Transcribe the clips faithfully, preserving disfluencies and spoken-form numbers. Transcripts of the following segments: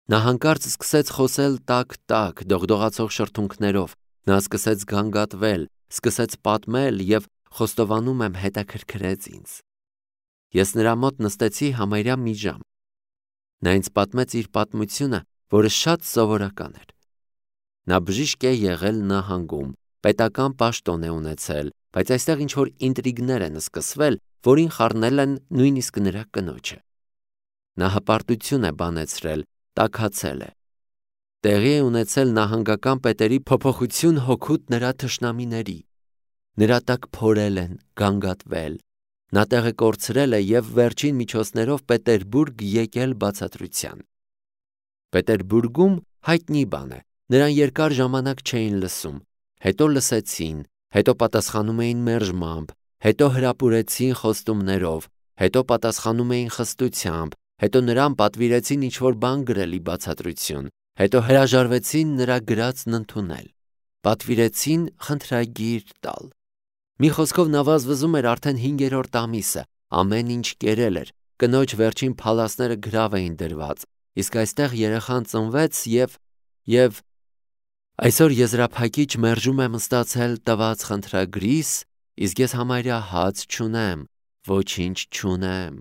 Նա հանկարծ սկսեց խոսել տակ-տակ, դողդողացող շրթունքներով, նա սկսեց գանգատվել, սկսեց պատմել և խոստովանում եմ հետաքրքրեց ինձ։ Ես նրա մոտ նստեցի համարյա մի ժամ։ Նա ինձ պատմեց իր պատմությունը, որը շատ սովորական էր։ Նա բժիշկ է եղել նահանգում, պետական պաշտոն է ունեցել, բայց այստեղ ինչ-որ ինտրիգներ են սկսվել, որին խառնել են նույնիսկ նրա կնոջը։ Նա հպարտություն է բանեցրել, տաքացել է։ Տեղի է ունեցել նահանգական պետերի փոփոխություն հօգուտ նրա թշնամիների։ Նրա տակ փորել են, գանգատվել։ Նա տեղը կորցրել է և վերջին միջոցներով Պետերբուրգ եկել բացատրության։ Պետերբուրգում հայտնի բան է, նրան երկար ժամանակ չէին լսում, հետո լսեցին, հետո պատասխանում էին մերժմամբ, հետո հրապուրեցին խոստումներով, հետո պատասխանում էին խստությամբ, հետո նրան պատվիրեցին ինչ-որ բան գրել ի բացատրություն, հետո հրաժարվեցին նրա գրածն ընդունել, պատվիրեցին խնդրագիր տալ։ Մի խոսքով նա վազվզում էր արդեն հինգերորդ ամիսը, ամեն ինչ կերել էր, կնոջ վերջին փալասները գրավ էին դրված, իսկ այստեղ երեխան ծնվեց և, և այսօր եզրափակիչ մերժում եմ ստացել տված խնդրագրիս, իսկ ես համարյա հաց չունեմ, ոչինչ չունեմ,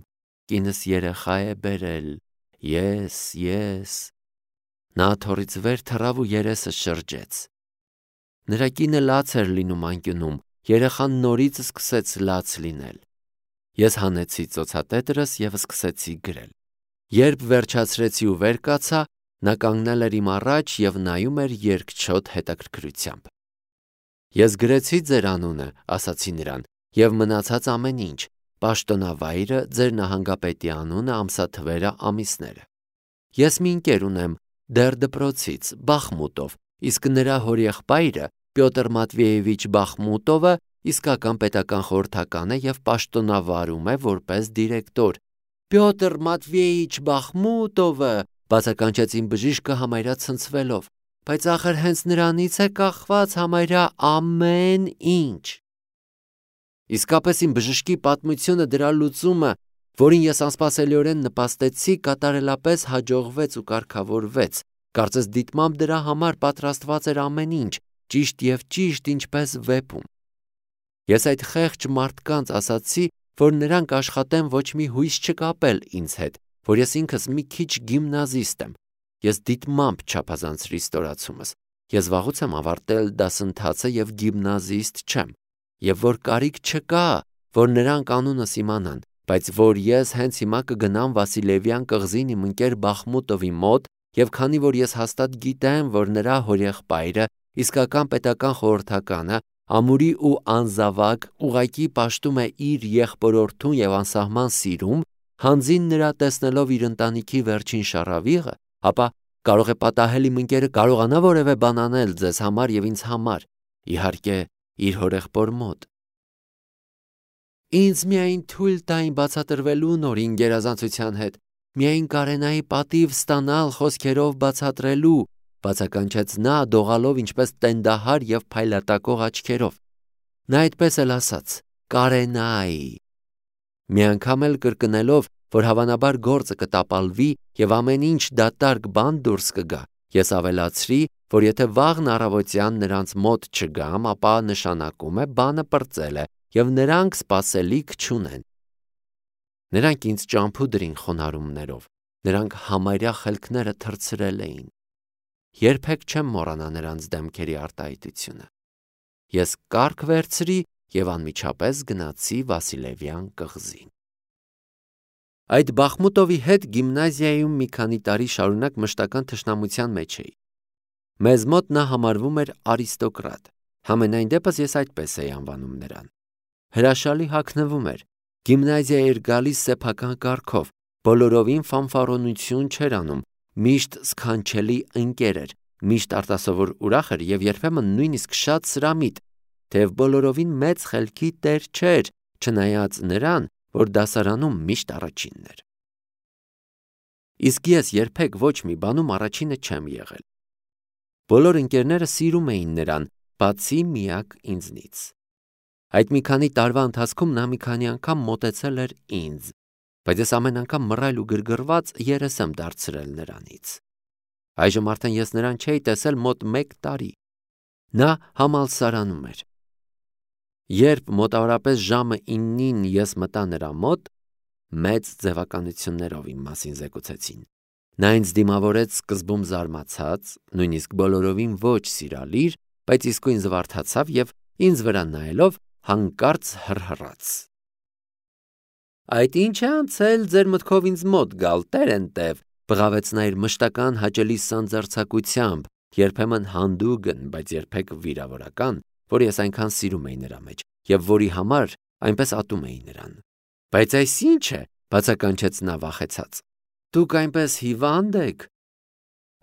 կինս երեխա է բերել, ես, ես։ Նա աթոռից վեր թռավ ու երեսը շրջեց։ Նրա կինը լաց էր լինում անկյունում, երեխան նորից սկսեց լաց լինել։ Ես հանեցի ծոցատետրս և սկսեցի գրել։ Երբ վերջացրեցի ու վեր կացա, նա կանգնել էր իմ առաջ և նայում էր երկչոտ հետաքրքրությամբ։ Ես գրեցի ձեր անունը, ասացի նրան, և մնացած ամեն ինչ, պաշտոնավայրը, ձեր նահանգապետի անունը, ամսաթվերը, ամիսները։ Ես մի ընկեր ունեմ, դեռ դպրոցից, Բախմուտով, իսկ նրա հորեղբայրը Պյոտր Մատվեևիչ Բախմուտովը իսկական պետական խորհրդական է և պաշտոնավարում է որպես դիրեկտոր։ Պյոտր Մատվեիչ Բախմուտովը, բացականչեց իմ բժիշկը համարյա ցնցվելով, բայց ախր հենց նրանից է կախված համարյա ամեն ինչ։ Իսկապես իմ բժշկի պատմությունը, դրա լուծումը, որին ես անսպասելիորեն նպաստեցի, կատարելապես հաջողվեց ու կարգավորվեց, կարծես դիտմամբ դրա համար պատրաստված էր ամեն ինչ, ճիշտ և ճիշտ ինչպես վեպում։ Ես այդ խեղճ մարդկանց ասացի, որ նրանք աշխատեն ոչ մի հույս չկապել ինձ հետ, որ ես ինքս մի քիչ գիմնազիստ եմ։ Ես դիտմամբ չափազանցրի ստորացումս։ Ես վաղուց եմ ավարտել դասընթացը և գիմնազիստ չեմ, և որ կարիք չկա, որ նրանք անունս իմանան, բայց որ ես հենց հիմա կգնամ Վասիլևյան կղզին իմ ընկեր Բախմուտովի մոտ, և քանի որ ես հաստատ գիտեմ, որ նրա հորեղբայրը, իսկական պետական խորհրդականը, ամուրի ու անզավակ, ուղղակի պաշտում է իր եղբորորդուն և անսահման սիրում, հանձին նրա տեսնելով իր ընտանիքի վերջին շառավիղը, ապա կարող է պատահել իմ ընկերը կարողանա որևէ բան անել ձեզ համար և ինձ համար, իհարկե, իր հորեղբոր մոտ։ Ինձ միայն թույլ տային բացատրվելու նորին գերազանցության հետ, միայն կարենայի պատիվ ստանալ խոսքերով բացատրելու, բացականչեց նա, դողալով ինչպես տենդահար և փայլատակող աչքերով։ Նա այդպես էլ ասաց. կարենայի։ Մի անգամ էլ կրկնելով, որ հավանաբար գործը կտապալվի և ամեն ինչ դատարկ բան դուրս կգա, ես ավելացրի, որ եթե վաղն առավոտյան նրանց մոտ չգամ, ապա նշանակում է բանը պրծել է և նրանք սպասելիք չունեն։ Նրանք ինձ ճամփու դրին խոնարհումներով, նրանք համարյա խելքները թռցրել էին։ Երբեք չեմ մոռանա նրանց դեմքերի արտահայտությունը։ Ես կառք վերցրի և անմիջապես գնացի Վասիլևյան կղզին։ Այդ Բախմուտովի հետ գիմնազիայում մի քանի տարի շարունակ մշտական թշնամության մեջ էի։ Մեզ մոտ նա համարվում էր արիստոկրատ, համենայն դեպս ես այդպես էի անվանում նրան։ Հրաշալի հագնվում էր, գիմնազիա էր գալիս սեփական կառքով, բոլորովին ֆանֆարոնություն չէր անում, միշտ սքանչելի ընկեր էր, միշտ արտասովոր ուրախ էր և երբեմն նույնիսկ շատ սրամիտ, թեև բոլորովին մեծ խելքի տեր չէր, չնայած նրան, որ դասարանում միշտ առաջինն էր։ Իսկ ես երբեք ոչ մի բանում առաջինը չեմ եղել։ Բոլոր ընկերները սիրում էին նրան, բացի միակ ինձնից։ Այդ մի քանի տարվա ընթացքում նա մի քանի անգամ մոտեցել էր ինձ, բայց ես ամեն անգամ մռայլ ու գրգռված երես եմ դարձրել նրանից։ Այժմ արդեն ես նրան չէի տեսել մոտ մեկ տարի։ Նա համալսարանում էր։ Երբ մոտավորապես ժամը իննին ես մտա նրա մոտ, մեծ ձևականություններով իմ մասին զեկուցեցին։ Նա ինձ դիմավորեց սկզբում զարմացած, նույնիսկ բոլորովին ոչ սիրալիր, բայց իսկույն զվարթացավ եւ ինձ վրա նայելով հանկարծ հռհռաց։ Այդ ինչ է անցել ձեր մտքով ինձ մոտ գալ, տերենտև, բղավեց նա իր մշտական հաճելի սանձարձակությամբ, երբեմն հանդուգն, բայց երբեք վիրավորական, որ ես այնքան սիրում էի նրա մեջ եւ որի համար այնպես ատում էի նրան։ Բայց այս ինչ է, բացականչեց նա վախեցած։ Դուք այնպես հիվանդ եք։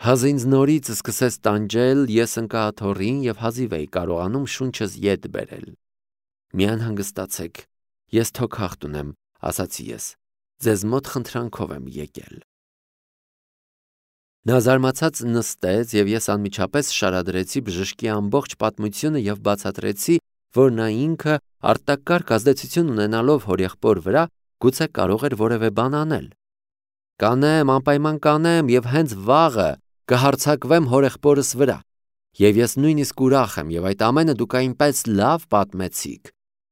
Հազը ինձ նորից սկսեց տանջել, ես ընկա աթոռին եւ հազիվ էի կարողանում շունչս ետ բերել։ Մի անհանգստացեք, ես թոքախտ ունեմ, ասացի ես։ Ձեզ մոտ խնդրանքով եմ եկել։ Նա զարմացած նստեց եւ ես անմիջապես շարադրեցի բժշկի ամբողջ պատմությունը եւ բացատրեցի, որ նա ինքը արտակարգ ազդեցություն ունենալով հորեղբոր վրա գուցե կարող էր որևէ բան անել։ Կանեմ, անպայման կանեմ եւ հենց վաղը կհարձակվեմ հորեղբորս վրա։ Եվ ես նույնիսկ ուրախ եմ եւ այդ ամենը դուք այնպես լավ պատմեցիք։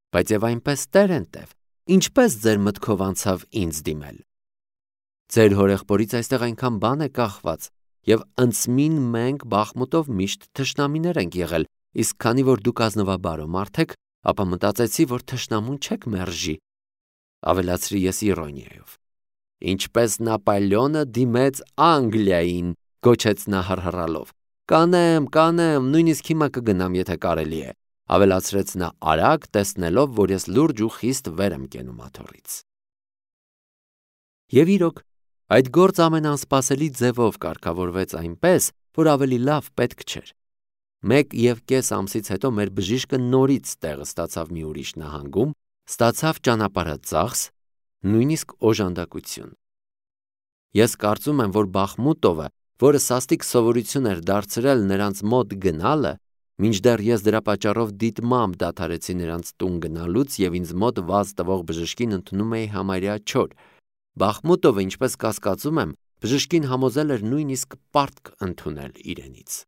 Բայց եւ այնպես տերենտև, ինչպես ձեր մտքով անցավ ինձ դիմել։ Ձեր հորեղբորից այստեղ այնքան բան է կախված եւ ընծմին մենք Բախմուտով միշտ թշնամիներ ենք եղել, իսկ քանի որ դուք ազնվաբարո մարդ եք, ապա մտածեցի, որ թշնամուն չեք մերժի։ Ավելացրի ես իրոնիայով։ Ինչպես Նապոլեոնը դիմեց Անգլիային, գոչեց նա հռհռալով։ Կանեմ, կանեմ, նույնիսկ հիմա կգնամ, եթե կարելի է, ավելացրեց նա արագ, տեսնելով, որ ես լուրջ ու խիստ վեր եմ կենում աթոռից։ Եվ իրոք, այդ գործ ամենանսպասելի ձևով կարգավորվեց այնպես, որ ավելի լավ պետք չէր։ Մեկ եւ կես ամսից հետո մեր բժիշկը նորից տեղը ստացավ մի ուրիշ նահանգում, ստացավ ճանապարհածախս, նույնիսկ օժանդակություն։ Ես կարծում եմ, որ Բախմուտովը, որը սաստիկ սովորություն էր դարձրել նրանց մոտ գնալը, մինչդեռ ես դրա պատճառով դիտմամբ դադարեցի նրանց տուն գնալուց եւ ինձ մոտ վազ տվող բժշկին ընդունում էի համարյա չոր։ Բախմուտովը, ինչպես կասկածում եմ, բժշկին համոզել էր նույնիսկ պարտք ընդունել իրենից։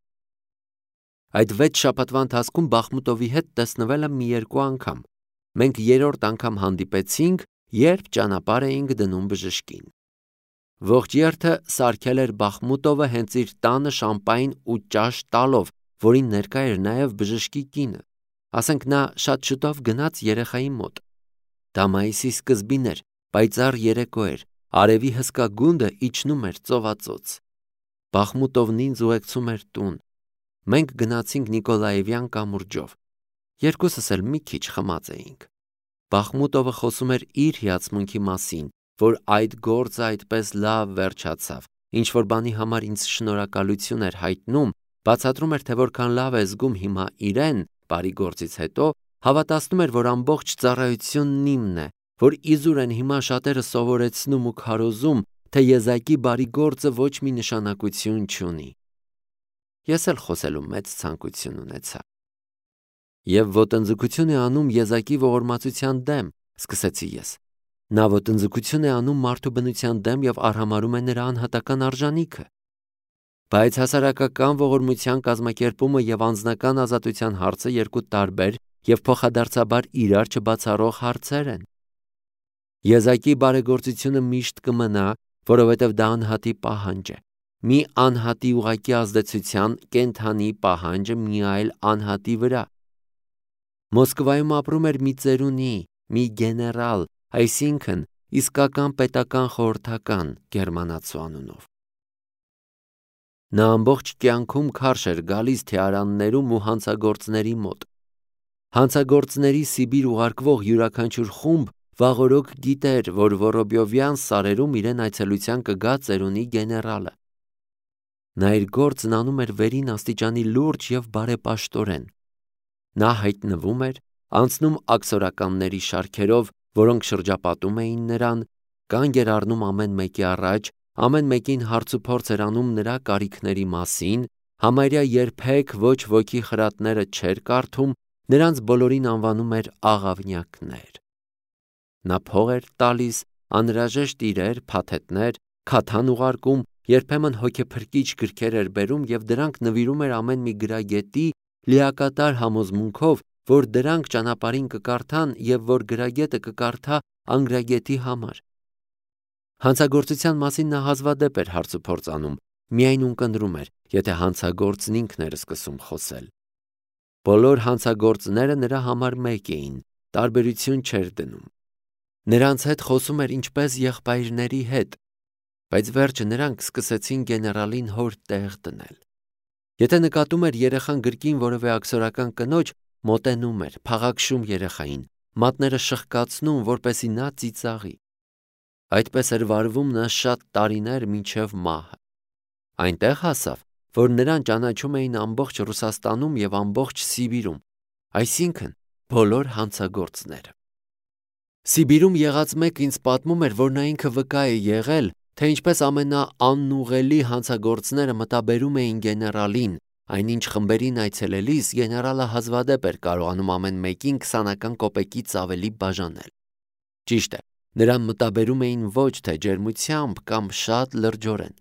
Այդ վեց շաբաթվա ընթացքում Բախմուտովի հետ տեսնվել եմ մի երկու անգամ։ Մենք երրորդ անգամ հանդիպեցինք, երբ ճանապարհ էինք դնում բժշկին։ Ողջ երթը սարքել էր Բախմուտովը հենց իր տանը շամպայն ու ճաշ տալով, որին ներկա էր նաև բժշկի կինը։ Ասենք նա շատ շուտով գնաց երեխայի մոտ։ Դա մայիսի սկզբին էր, պայծառ երեկո էր, արևի հսկա գունդը իջնում էր ծովածոց։ Բախմուտովն ինձ ուղեկցում էր տուն։ Մենք գնացինք Նիկոլաևյան կամուրջով։ Երկուսս էլ մի քիչ խմած էինք։ Բախմուտովը խոսում էր իր հիացմունքի մասին, որ այդ գործը այդպես լավ վերջացավ, ինչ որ բանի համար ինձ շնորհակալություն էր հայտնում, բացատրում էր, թե որքան լավ է զգում հիմա իրեն, բարի գործից հետո, հավատացնում էր, որ ամբողջ ծառայությունն իմն է, որ իզուր են հիմա շատերը սովորեցնում ու քարոզում, թե եզակի բարի գործը ոչ մի նշանակություն չունի։ Ես էլ խոսելու մեծ ցանկություն ունեցա։ Եվ ոտնձգություն է անում եզակի ողորմածության դեմ, սկսեցի ես։ Նա ոտնձգություն է անում մարդու բնության դեմ եւ արհամարհում է նրա անհատական արժանիքը։ Բայց հասարակական ողորմության կազմակերպումը եւ անձնական ազատության հարցը երկու տարբեր եւ փոխադարձաբար իրար չբացառող հարցեր են։ Եզակի բարեգործությունը միշտ կմնա, որովհետեւ դա անհատի պահանջ է։ Մի անհատի ուղակի ազդեցության կենթանի պահանջը մի այլ անհատի վրա։ Մոսկվայում ապրում էր մի ծերունի, մի գեներալ, այսինքն իսկական պետական խորհրդական գերմանացու անունով։ Նա ամբողջ կյանքում քարշ էր գալիս թեարաններում ու հանցագործների մոտ։ Հանցագործների Սիբիր ուղարկվող յուրաքանչյուր խումբ վաղօրոք գիտեր, որ Վորոբյովյան սարերում իրեն այցելության կգա ծերունի գեներալը։ Նա իր գործն անում էր վերին աստիճանի լուրջ եւ բարեպաշտորեն։ Նա հայտնվում էր, անցնում աքսորականների շարքերով, որոնք շրջապատում էին նրան, կանգ էր առնում ամեն մեկի առաջ, ամեն մեկին հարցուփորձ էր անում նրա կարիքների մասին, համարյա երբեք ոչ ոքի խրատները չէր կարդում, նրանց բոլորին անվանում էր աղավնյակներ։ Նա փող էր տալիս, անհրաժեշտ իրեր, փաթեթներ, քաթան ուղարկում երբեմն հոգեփրկիչ գրքեր էր բերում և դրանք նվիրում էր ամեն մի գրագետի լիակատար համոզմունքով, որ դրանք ճանապարհին կկարդան և որ գրագետը կկարդա անգրագետի համար։ Հանցագործության մասին նա հազվադեպ էր հարցուփորձ անում, միայն ունկնդրում էր, եթե հանցագործն ինքն էր սկսում խոսել։ Բոլոր հանցագործները նրա համար մեկ էին, տարբերություն չէր դնում։ Նրանց հետ խոսում էր ինչպես եղբայրների հետ, բայց վերջը նրանք սկսեցին գեներալին հոր տեղ դնել։ Եթե նկատում էր երեխան գրկին որևէ աքսորական կնոջ, մոտենում էր, փաղաքշում երեխային, մատները շխկացնում, որպեսզի նա ծիծաղի։ Այդպես էր վարվում նա շատ տարիներ մինչև մահը։ Այնտեղ հասավ, որ նրան ճանաչում էին ամբողջ Ռուսաստանում և ամբողջ Սիբիրում, այսինքն բոլոր հանցագործները։ Սիբիրում եղած մեկը ինձ պատմում էր, որ նա ինքը վկա է եղել, թե ինչպես ամենաանուղելի հանցագործները մտաբերում էին գեներալին, այնինչ խմբերին այցելելիս գեներալը հազվադեպ էր կարողանում ամեն մեկին քսանական կոպեկից ավելի բաժանել։ Ճիշտ է, նրան մտաբերում էին ոչ թե ջերմությամբ կամ շատ լրջորեն։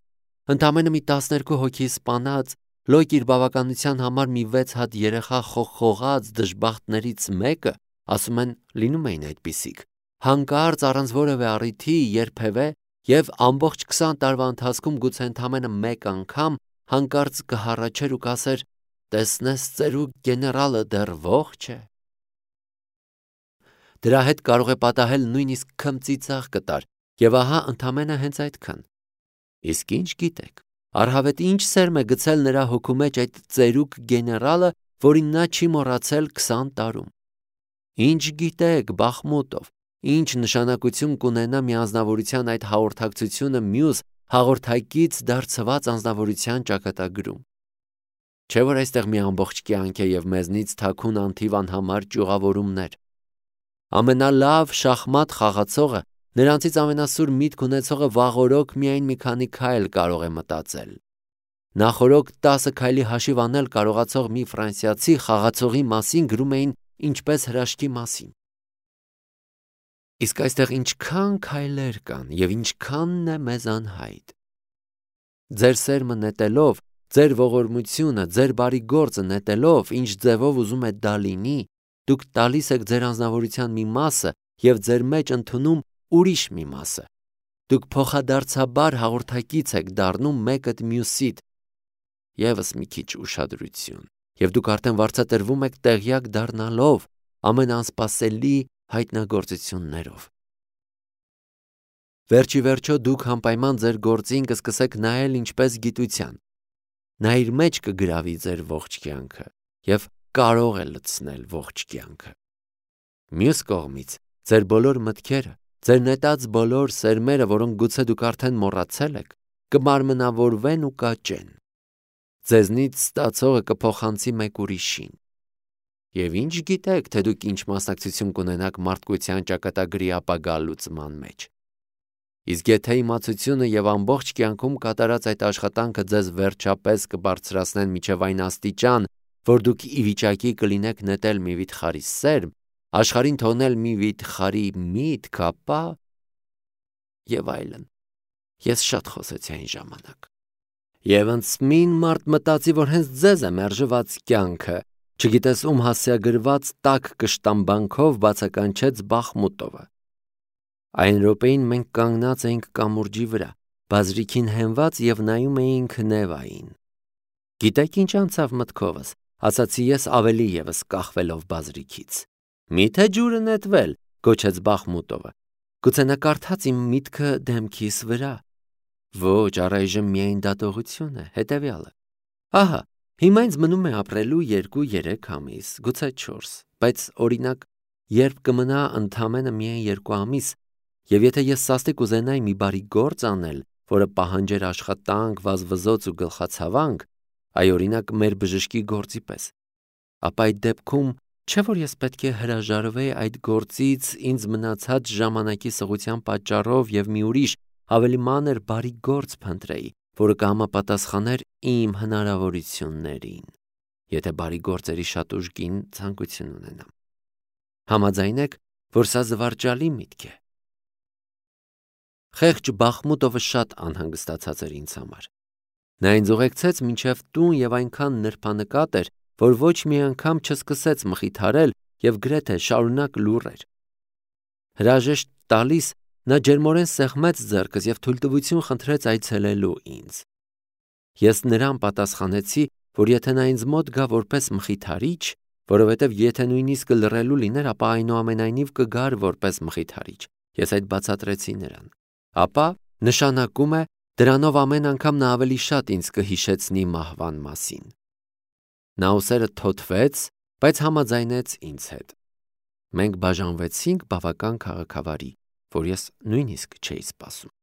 Ընդամենը մի տասներկու հոգի սպանած, լոկ իր բավականության համար մի վեց հատ երեխա խողխողած դժբախտներից մեկը, ասում են, լինում էին այդպիսիք, հանկարծ առանց որևէ առիթի երբևէ և ամբողջ քսան տարվա ընթացքում գուցե ընդամենը մեկ անգամ հանկարծ կհառաչեր ու կասեր. «Տեսնես ծերուկ գեներալը դեռ ողջ է»։ Դրա հետ կարող է պատահել նույնիսկ քմծիծաղ կտար, և ահա ընդամենը հենց այդքան։ Իսկ ինչ գիտեք, առհավետ ինչ սերմ է գցել նրա հոգու մեջ այդ ծերուկ գեներալը, որին նա չի մոռացել քսան տարում։ Ինչ գիտեք, Բախմուտով, ինչ նշանակություն կունենա մի անձնավորության այդ հաղորդակցությունը մյուս հաղորդակից դարձված անձնավորության ճակատագրում։ Չէ՞ որ այստեղ մի ամբողջ կյանք է և մեզնից թաքուն անթիվ անհամար ճյուղավորումներ։ Ամենալավ շախմատ խաղացողը, նրանցից ամենասուր միտք ունեցողը վաղօրոք միայն մի քանի քայլ կարող է մտածել։ Նախօրոք տասը քայլի հաշիվ անել կարողացող մի ֆրանսիացի խաղացողի մասին գրում էին ինչպես հրաշքի մասին։ Իսկ այստեղ ինչքան քայլեր կան և ինչքանն է մեզ անհայտ։ Ձեր սերմը նետելով, ձեր ողորմությունը, ձեր բարի գործը նետելով, ինչ ձևով ուզում է դա լինի, դուք տալիս եք ձեր անձնավորության մի մասը և ձեր մեջ ընդունում ուրիշ մի մասը։ Դուք փոխադարձաբար հաղորդակից եք դառնում մեկդ մյուսիդ։ Եվս մի քիչ ուշադրություն, և դուք արդեն վարձատրվում եք տեղյակ դառնալով ամենաանսպասելի հայտնագործություններով։ Վերջ ի վերջո դուք անպայման ձեր գործին կսկսեք նայել ինչպես գիտության։ Նա իր մեջ կգրավի ձեր ողջ կյանքը և կարող է լցնել ողջ կյանքը։ Մյուս կողմից, ձեր բոլոր մտքերը, ձեր նետած բոլոր սերմերը, որոնք գուցե դուք արդեն մոռացել եք, կմարմնավորվեն ու կաճեն։ Ձեզնից ստացողը կփոխանցի մեկ ուրիշին։ Եվ ինչ գիտեք, թե դուք ինչ մասնակցություն կունենաք մարդկության ճակատագրի ապագա լուծման մեջ։ Իսկ եթե իմացությունը և ամբողջ կյանքում կատարած այդ աշխատանքը ձեզ վերջապես կբարձրացնեն մինչև այն աստիճան, որ դուք ի վիճակի կլինեք նետել մի վիթխարի սերմ, աշխարհին թողնել մի վիթխարի միտք, ապա… Եվ այլն։ Ես շատ խոսեցի այն ժամանակ։ Եվ ընծմին մարդ մտածի, որ հենց ձեզ է մերժված կյանքը, չգիտես ում հասցեագրված տաք կշտամբանքով բացականչեց Բախմուտովը։ Այն րոպեին մենք կանգնած էինք կամուրջի վրա, բազրիքին հենված և նայում էինք Նևային։ Գիտեք ինչ անցավ մտքովս, ասացի ես ավելի ևս կախվելով բազրիքից։ Մի՞թե ջուրը նետվել, գոչեց Բախմուտովը։ Գուցե նա կարդաց իմ միտքը դեմքիս վրա։ Ոչ, առայժմ միայն դատողություն է, հետևյալը։ Ահա, հիմա ինձ մնում է ապրելու երկու-երեք ամիս, գուցե չորս, բայց օրինակ, երբ կմնա ընդամենը միայն երկու ամիս, և եթե ես սաստիկ ուզենայի մի բարի գործ անել, որը պահանջեր աշխատանք, վազվզոց ու գլխացավանք, այ օրինակ մեր բժշկի գործի պես, ապա այդ դեպքում չէ՞ որ ես պետք է հրաժարվեի այդ գործից ինձ մնացած ժամանակի սղության պատճառով և մի ուրիշ, ավելի մանր բարի գործ փնտրեի, որը կհամապատասխաներ իմ հնարավորություններին, եթե բարի գործերի շատ ուժգին ցանկություն ունենամ։ Համաձայն եք, որ սա զվարճալի միտք է։ Խեղճ Բախմուտովը շատ անհանգստացած էր ինձ համար։ Նա ինձ ուղեկցեց մինչև տուն եւ այնքան նրբանկատ էր, որ ոչ մի անգամ չսկսեց մխիթարել եւ գրեթե շարունակ լուռ էր։ Հրաժեշտ տալիս նա ջերմորեն սեղմեց ձեռքս եւ թույլտվություն խնդրեց այցելելու ինձ։ Ես նրան պատասխանեցի, որ եթե նա ինձ մոտ գա որպես մխիթարիչ, որովհետև եթե նույնիսկ լռելու լիներ, ապա այնուամենայնիվ կգար որպես մխիթարիչ, ես այդ բացատրեցի նրան, ապա նշանակում է դրանով ամեն անգամ նա ավելի շատ ինձ կհիշեցնի մահվան մասին։ Նա ուսերը թոթվեց, բայց համաձայնեց ինձ հետ։ Մենք բաժանվեցինք բավական քաղաքավարի, որ ես նույնիսկ չէի սպասում։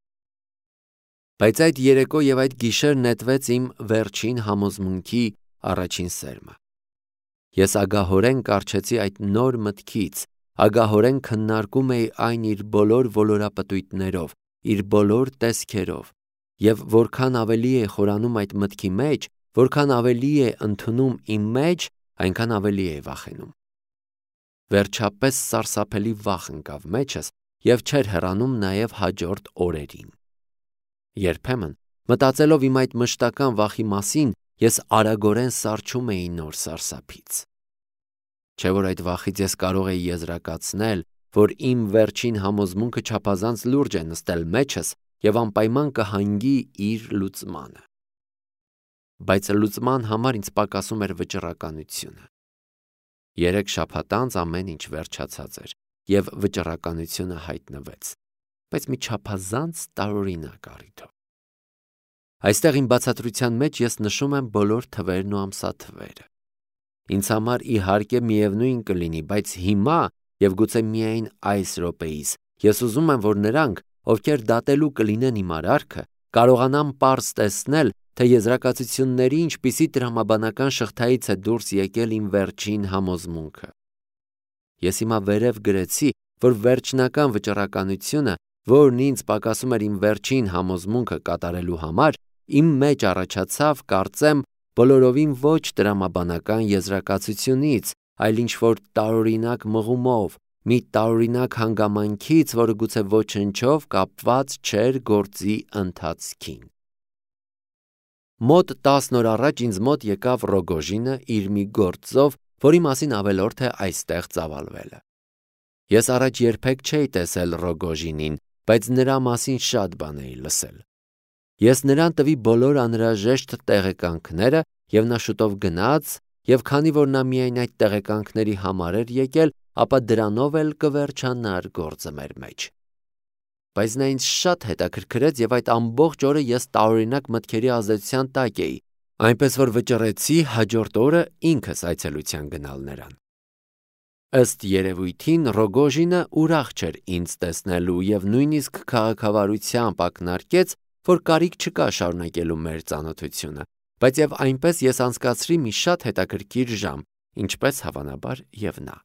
Բայց այդ երեկո եւ այդ գիշեր նետվեց իմ վերջին համոզմունքի առաջին սերմը։ Ես ագահորեն կառչեցի այդ նոր մտքից, ագահորեն քննարկում էի այն իր բոլոր ոլորապտույտներով, իր բոլոր տեսքերով, եւ որքան ավելի է խորանում այդ մտքի մեջ, որքան ավելի է ընդունում իմ մեջ, այնքան ավելի է վախենում։ Վերջապես սարսափելի վախ ընկավ մեջս եւ չէր հեռանում նաեւ հաջորդ օրերին։ Երբեմն, մտածելով իմ այդ մշտական վախի մասին, ես արագորեն սառչում էի նոր սարսափից։ Չէ՞ որ այդ վախից ես կարող էի եզրակացնել, որ իմ վերջին համոզմունքը չափազանց լուրջ է նստել մեջս եւ անպայման կհանգի իր լուծմանը։ Բայց լուծման համար ինձ պակասում էր վճռականությունը։ Երեք շաբաթ անց ամեն ինչ վերջացած էր եւ վճռականությունը հայտնվեց, բայց մի չափազանց տարօրինակ առիթով։ Այստեղ իմ բացատրության մեջ ես նշում եմ բոլոր թվերն ու ամսաթվերը։ Ինձ համար իհարկե միևնույն կլինի, բայց հիմա եւ գուցե միայն այս րոպեիս ես ուզում եմ, որ նրանք, ովքեր դատելու կլինեն իմ արարքը, կարողանան պարզ տեսնել, թե եզրակացությունների ինչպիսի տրամաբանական շղթայից է դուրս եկել իմ վերջին համոզմունքը։ Ես հիմա վերև գրեցի, որ վերջնական վճռականությունը, որն ինձ պակասում էր իմ վերջին համոզմունքը կատարելու համար, իմ մեջ առաջացավ, կարծեմ, բոլորովին ոչ տրամաբանական եզրակացությունից, այլ ինչ-որ տարօրինակ մղումով, մի տարօրինակ հանգամանքից, որը գուցե ոչնչով կապված չէր գործի ընթացքին։ Մոտ տասն օր առաջ ինձ մոտ եկավ Ռոգոժինը իր մի գործով, որի մասին ավելորդ է այստեղ ծավալվելը։ Ես առաջ երբեք չէի տեսել Ռոգոժինին, բայց նրա մասին շատ բան էի լսել։ Ես նրան տվի բոլոր անհրաժեշտ տեղեկանքները եւ նա շուտով գնաց, եւ քանի որ նա միայն այդ տեղեկանքների համար էր եկել, ապա դրանով էլ կվերջանար գործը մեր մեջ։ Բայց նա ինձ շատ հետաքրքրեց եւ այդ ամբողջ օրը ես տարօրինակ մտքերի ազդեցության տակ էի, այնպես որ վճռեցի հաջորդ օրը ինքս այցելության գնալ նրան։ Ըստ երևույթին Ռոգոժինը ուրախ չէր ինձ տեսնելու եւ նույնիսկ քաղաքավարությամբ ակնարկեց, որ կարիք չկա շարունակելու մեր ծանոթությունը, բայց եւ այնպես ես անցկացրի մի շատ հետաքրքիր ժամ, ինչպես հավանաբար եւ նա։